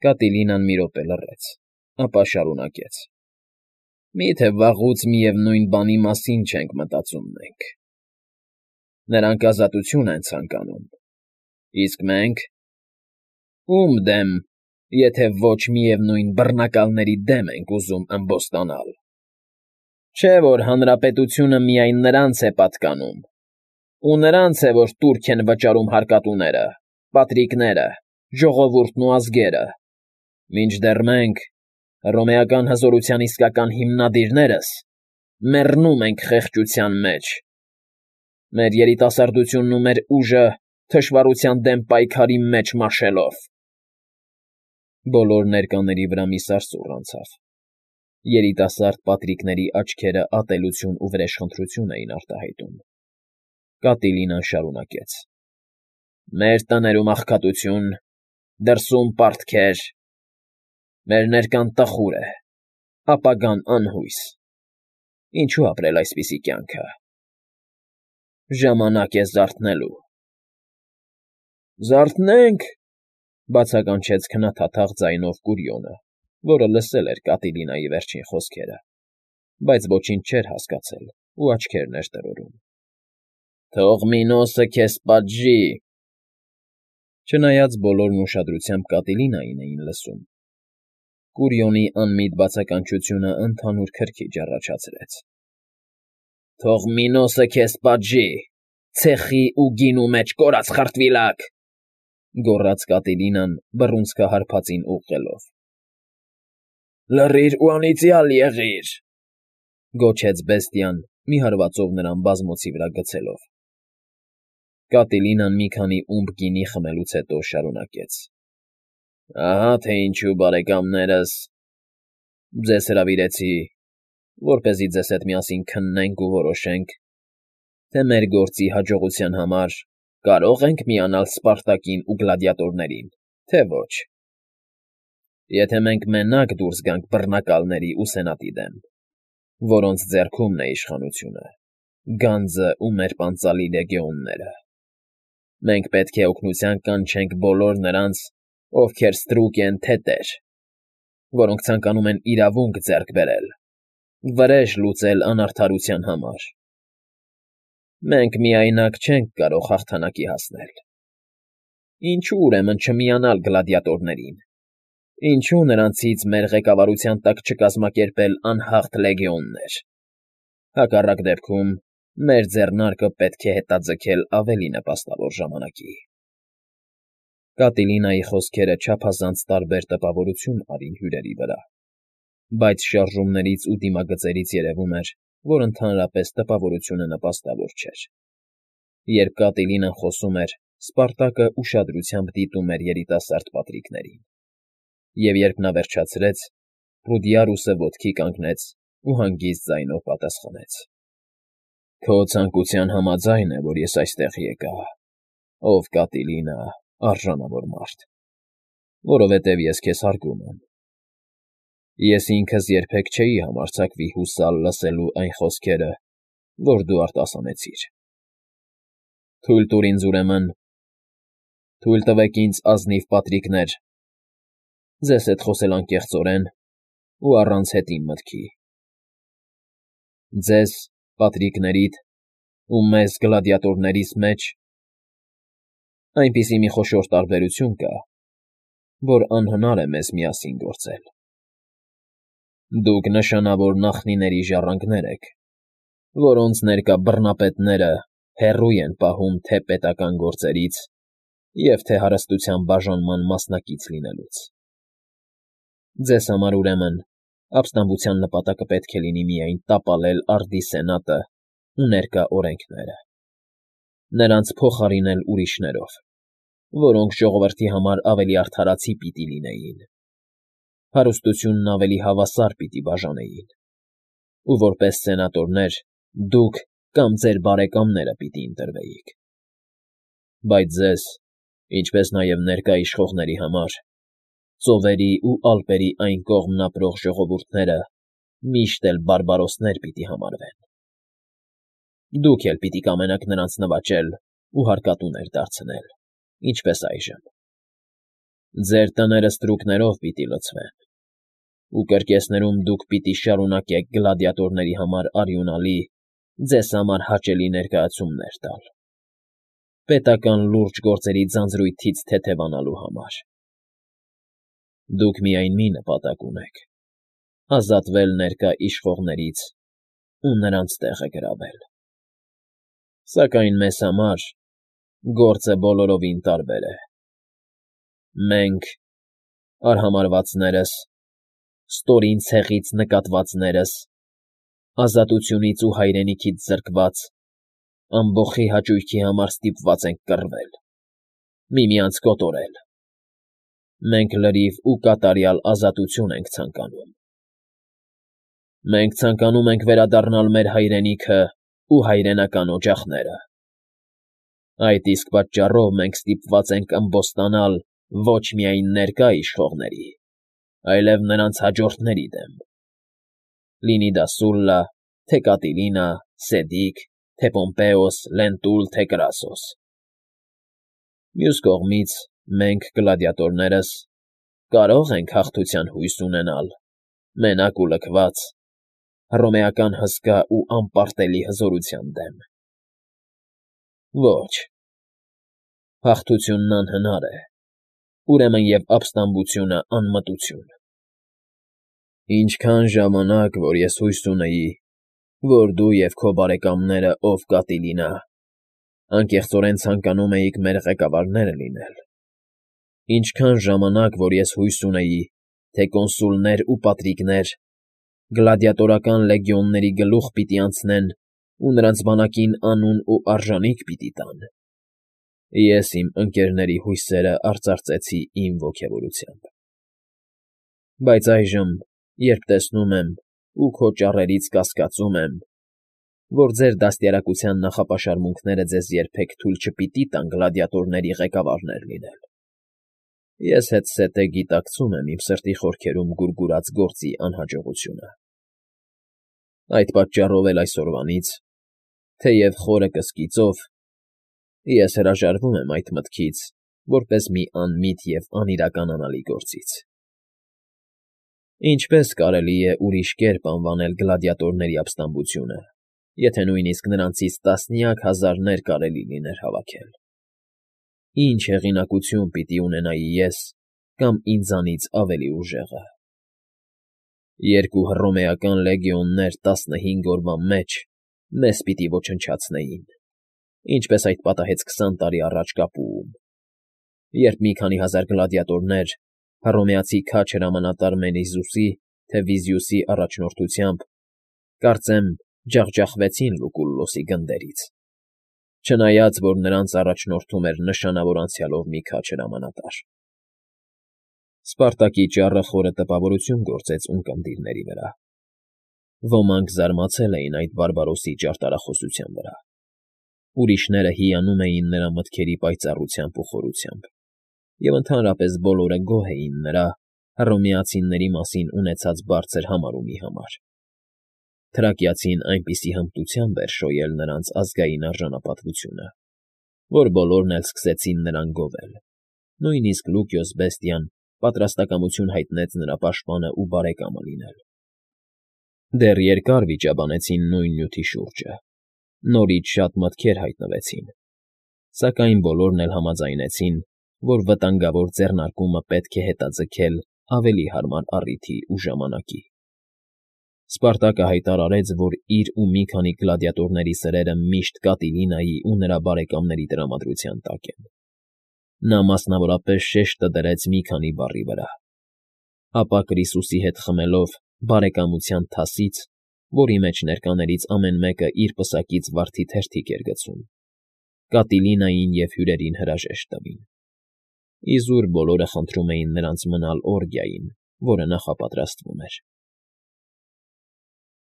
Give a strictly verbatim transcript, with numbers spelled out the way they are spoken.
Կատիլինան մի րոպե լռեց, ապա շարունակեց. Մի՞թե վաղուց միևնույն բանի մասին չենք մտածում մենք. նրանք ազատություն են ցանկանում, իսկ մենք… Ո՞ւմ դեմ, եթե ոչ միևնույն բռնակալների դեմ ենք ուզում ըմբոստանալ… Չէ՞ որ հանրապետությունը միայն նրանց է պատկանում, ու նրանց է, որ տուրք են վճարում հարկատուները, պատրիկները, ժողովուրդն ու ազգերը, մինչդեռ մենք, հռոմեական հզորության իսկական հիմնադիրներս, մեռնում ենք խեղճության մեջ, մեր երիտասարդությունն ու մեր ուժը թշվառության դեմ պայքարի մեջ մաշելով… Բոլոր ներկաների վրա մի սարսուռ անցավ. երիտասարդ պատրիկների աչքերը ատելություն ու վրեժխնդրություն էին արտահայտում։ Կատիլինան շարունակեց. Մեր տներում աղքատություն, դրսում պարտքեր, մեր ներկան տխուր է, ապագան անհույս… Ինչու՞ ապրել այսպիսի կյանքը… Ժամանակ է զարթնելու… Զարթնե՛նք,֊ բացականչեց քննադատաղ ձայնով Կուրիոնը, որը լսել էր Կատիլինայի վերջին խոսքերը, բայց ոչինչ չէր հասկացել ու աչքերն էր տրորում։ Թող Մինոսը քեզ պատժի… Չնայած բոլորն ուշադրությամբ Կատիլինային էին լսում, Կուրիոնի անմիտ բացականչությունը ընդհանուր քրքիջ առաջացրեց։ Թող Մինոսը քեզ պատժի… Ցեխի ու գինու մեջ կորած խրտվիլակ,֊ գոռաց Կատիլինան բռունցքահարփածին ուղղելով։ Լռիր ու անիծյալ եղիր,֊ գոչեց բեստիան, մի հարվածով նրան բազմոցի վրա գցելով։ Կատիլինան մի քանի ումպ գինի խմելուց հետո շարունակեց. Ահա թե ինչու, բարեկամներս, ձեզ հրավիրեցի, որպեսզի ձեզ հետ միասին քննենք ու որոշենք, թե մեր գործի հաջողության համար կարո՞ղ ենք միանալ Սպարտակին ու գլադիատորներին, թե ոչ։ Եթե մենք մենակ դուրս գանք բռնակալների ու սենատի դեմ, որոնց ձեռքումն է իշխանությունը, գանձը ու մեր պանծալի լեգեոնները, մենք պետք է օգնության կանչենք բոլոր նրանց, ովքեր ստրուկ են թե տեր, որոնք ցանկանում են իրավունք ձեռք բերել, վրեժ լուծել անարդարության համար։ Մենք միայնակ չենք կարող հաղթանակի հասնել։ Ինչու ուրեմն չմիանալ գլադիատորներին, ինչու նրանցից մեր ղեկավարության տակ չկազմակերպել անհաղթ լեգեոններ։ Հակառակ դեպքում մեր ձեռնարկը պետք է հետաձգել ավելի նպաստավոր ժամանակի։ Կատիլինայի խոսքերը չափազանց տարբեր տպավորություն արին հյուրերի վրա, բայց շարժումներից ու դիմագծերից երևում էր, որ ընդհանրապես տպավորությունը նպաստավոր չէր։ Երբ Կատիլինան խոսում էր, Սպարտակը ուշադրությամբ դիտում էր երիտասարդ պատրիկներին, և երբ նա վերջացրեց, Պրուդիարուսը ոտքի կանգնեց ու հանգիստ ձայնով պատասխանեց. Քո ցանկության համաձայն է, որ ես այստեղ եկա, ով Կատիլինա, արժանավոր մարդ, որովհետև ես քեզ հարգում եմ։ Ես ինքս երբեք չէի համարձակվի հուսալ լսելու այն խոսքերը, որ դու արտասանեցիր։ Թույլ տուր ինձ, ուրեմն, թույլ տվեք ինձ, ազնիվ պատրիկներ, ձեզ հետ խոսել անկեղծորեն ու առանց հետին մտքի։ Ձեզ, պատրիկներիդ, ու մեզ, գլադիատորներիս մեջ այնպիսի մի խոշոր տարբերություն կա, որ անհնար է մեզ միասին գործել։ Դուք նշանավոր նախնիների ժառանգներ եք, որոնց ներկա բռնապետները հեռու են պահում թե պետական գործերից և թե հարստության բաժանման մասնակից լինելուց։ Ձեզ համար, ուրեմն, ապստամբության նպատակը պետք է լինի միայն տապալել արդի սենատը ու ներկա օրենքները, նրանց փոխարինել ուրիշներով, որոնք ժողովրդի համար ավելի արդարացի պիտի լինեին, հարստությունն ավելի հավասար պիտի բաժանեին, ու որպես սենատորներ դուք կամ ձեր բարեկամները պիտի ընտրվեիք։ Բայց ձեզ, ինչպես նաև ներկա իշխողների համար, ծովերի ու ալպերի այն կողմն ապրող ժողովուրդները միշտ էլ բարբարոսներ պիտի համարվեն։ Դուք էլ պիտի կամենաք նրանց նվաճել ու հարկատուներ դարձնել, ինչպես այժմ։ Ձեր տները ստրուկներով պիտի լցվեն, ու կրկեսներում դուք պիտի շարունակեք գլադիատորների համար արյունալի, ձեզ համար հաճելի ներկայացումներ տալ, պետական լուրջ գործերի ձանձրույթից թեթևանալու համար։ Դուք միայն մի նպատակ ունեք. ազատվել ներկա իշխողներից ու նրանց տեղը գրավել։ Սակայն մեզ համար գործը բոլորովին տարբեր է։ Մենք, արհամարհվածներս, ստորին ցեղից նկատվածներս, ազատությունից ու հայրենիքից զրկված, ամբոխի հաճույքի համար ստիպված ենք կռվել, միմյանց կոտորել։ Մենք լրիվ ու կատարյալ ազատություն ենք ցանկանում։ Մենք ցանկանում ենք վերադառնալ մեր հայրենիքը ու հայրենական օջախները։ Այդ իսկ պատճառով մենք ստիպված ենք ըմբոստանալ ոչ միայն ներկա իշխողների, այլև նրանց հաջորդների դեմ, լինի դա Սուլլա, թե Կատիլինա, Սեդիկ, թե Պոմպեոս, Լենտուլ, թե Կրասոս։ Մյուս կողմից, մենք, գլադիատորներս, կարող ենք հաղթության հույս ունենալ, մենակ ու լքված, հռոմեական հսկա ու անպարտելի հզորության դեմ։ Ոչ, հաղթությունն անհնար է, ուրեմն և ապստամբությունը անմտություն։ Ինչքան ժամանակ, որ ես հույս ունեի, որ դու և քո բարեկամները, ով Կատիլինա, անկեղծորեն ցանկանում էիք մեր ղեկավարները լինել, ինչքան ժամանակ, որ ես հույս ունեի, թե կոնսուլներ ու պատրիկներ գլադիատորական լեգիոնների գլուխ պիտի անցնեն ու նրանց բանակին անուն ու արժանիք պիտի տան, ես իմ ընկերների հույսերը արծարծեցի իմ ոգևորությամբ։ Բայց այժմ, երբ տեսնում եմ ու քո ճառերից կասկածում եմ, որ ձեր դաստիարակության նախապաշարմունքները ձեզ երբեք թույլ չպիտի տան գլադիատորների ղեկավարներ լինել, ես հետզհետե գիտակցում եմ իմ սրտի խորքերում գուրգուրած գործի անհաջողությունը։ Այդ պատճառով էլ այսօրվանից, թեև խորը կսկիծով, ես հրաժարվում եմ այդ մտքից, որպես մի անմիտ և անիրականանալի գործից։ Ինչպե՞ս կարելի է ուրիշ կերպ անվանել գլադիատորների ապստամբությունը, եթե նույնիսկ նրանցից տասնյակ հազարներ կարելի լիներ հավաքել։ Ինչ հեղինակություն պիտի ունենայի ես կամ ինձանից ավելի ուժեղը։ Երկու հռոմեական լեգիոններ տասնհինգ օրվա մեջ մեզ պիտի ոչնչացնեին, ինչպես այդ պատահեց քսան տարի առաջ Կապուում, երբ մի քանի հազար գլադիատորներ հռոմեացի քաջ հրամանատար Մենիզուսի, թե Վիզիուսի առաջնորդությամբ, կարծեմ, ջախջախվեցին Լուկուլլոսի գնդերից, չնայած որ նրանց առաջնորդում էր նշանավոր անցյալով մի քաջ հրամանատար։ Սպարտակի ճառը խորը տպավորություն գործեց ունկնդիրների վրա։ Ոմանք զարմացել էին այդ բարբարոսի ճարտարախոսության վրա, ուրիշները հիանում էին նրա մտքերի պայծառությամբ ու խորությամբ, և ընդհանրապես բոլորը գոհ էին նրա հռոմեացիների մասին ունեցած բարձր համարումի համար։ Թրակիացին այնպիսի հմտությամբ էր շոյել նրանց ազգային արժանապատվությունը, որ բոլորն էլ սկսեցին նրան գովել, նույնիսկ Լուկիոս Բեստիան պատրաստակամություն հայտնեց նրա պաշտպանը ու բարեկամը լինել։ Դեռ երկար վիճաբանեցին նույն նյութի շուրջը, նորից շատ մտքեր հայտնվեցին, սակայն բոլորն էլ համաձայնեցին, որ վտանգավոր ձեռնարկումը պետք է հետաձգել ավելի հարմար առիթի ու ժամանակի։ Սպարտակը հայտարարեց, որ իր ու մի քանի գլադիատորների սրերը միշտ Կատիլինայի ու նրա բարեկամների տրամադրության տակ են։ Նա մասնավորապես շեշտը դրեց մի քանի բառի վրա, ապա Կրիսուսի հետ խմելով բարեկամության թասից, որի մեջ ներկաներից ամեն մեկը իր պսակից վարդի թերթիկ էր գցում, Կատիլինային և հյուրերին հրաժեշտ տվին։ Իզուր բոլորը խնդրում էին նրանց մնալ օրգիային, որը նախապատրաստվում էր։